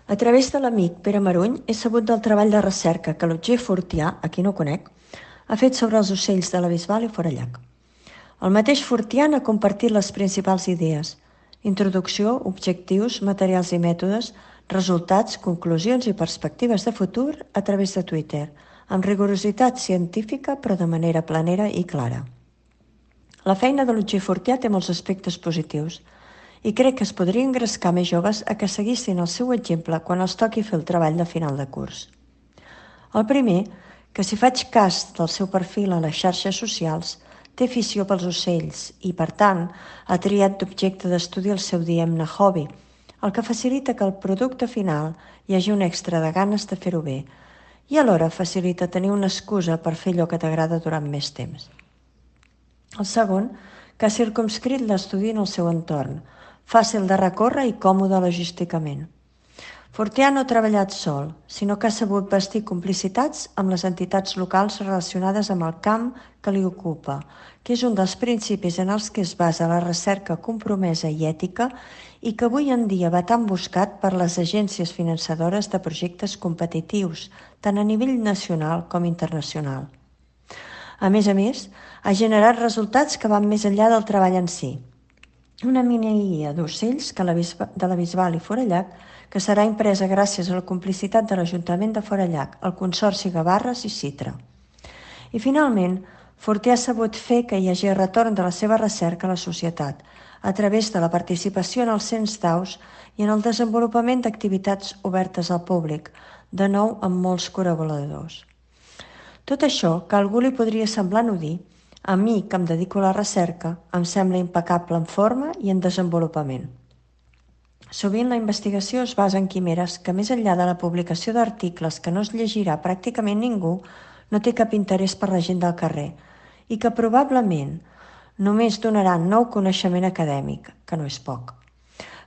A través de l'amic Pere Maruny he sabut del treball de recerca que l'Otger Fortià, a qui no conec, ha fet sobre els ocells de la Bisbal i Forallac. El mateix Fortià n'ha compartit les principals idees: introducció, objectius, materials i mètodes, resultats, conclusions i perspectives de futur a través de Twitter, amb rigorositat científica però de manera planera i clara. La feina de l'Otger Fortià té molts aspectes positius i crec que es podria engrescar més joves a que seguissin el seu exemple quan els toqui fer el treball de final de curs. El primer, que si faig cas del seu perfil a les xarxes socials, té afició pels ocells i, per tant, ha triat d'objecte d'estudi el seu diguem-ne hobby, el que facilita que al producte final hi hagi un extra de ganes de fer-ho bé i alhora facilita tenir una excusa per fer allò que t'agrada durant més temps. El segon, que ha circumscrit l'estudi en el seu entorn, fàcil de recórrer i còmode logísticament. Fortià no ha treballat sol, sinó que ha sabut bastir complicitats amb les entitats locals relacionades amb el camp que li ocupa, que és un dels principis en els que es basa la recerca compromesa i ètica i que avui en dia va tan buscat per les agències finançadores de projectes competitius, tant a nivell nacional com internacional. A més, ha generat resultats que van més enllà del treball en si. Una mini-guia d'ocells de la Bisbal i Forallac que serà impresa gràcies a la complicitat de l'Ajuntament de Forallac, el Consorci Gavarres i Citra. I finalment, Fortià ha sabut fer que hi hagi retorn de la seva recerca a la societat, a través de la participació en el cens d'aus i en el desenvolupament d'activitats obertes al públic, de nou amb molts col·laboradors. Tot això, que a algú li podria semblar anodí, a mi, que em dedico a la recerca, em sembla impecable en forma i en desenvolupament. Sovint la investigació es basa en quimeres que, més enllà de la publicació d'articles que no es llegirà pràcticament ningú, no té cap interès per la gent del carrer i que probablement només donaran nou coneixement acadèmic, que no és poc.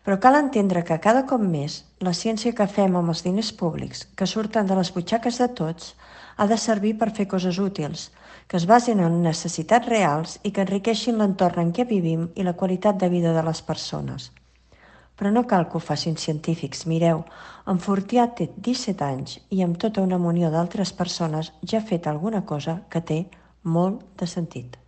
Però cal entendre que cada cop més la ciència que fem amb els diners públics, que surten de les butxaques de tots, ha de servir per fer coses útils, que es basin en necessitats reals i que enriqueixin l'entorn en què vivim i la qualitat de vida de les persones. Però no cal que ho facin científics, mireu, en Fortià té 17 anys i amb tota una munió d'altres persones ja ha fet alguna cosa que té molt de sentit.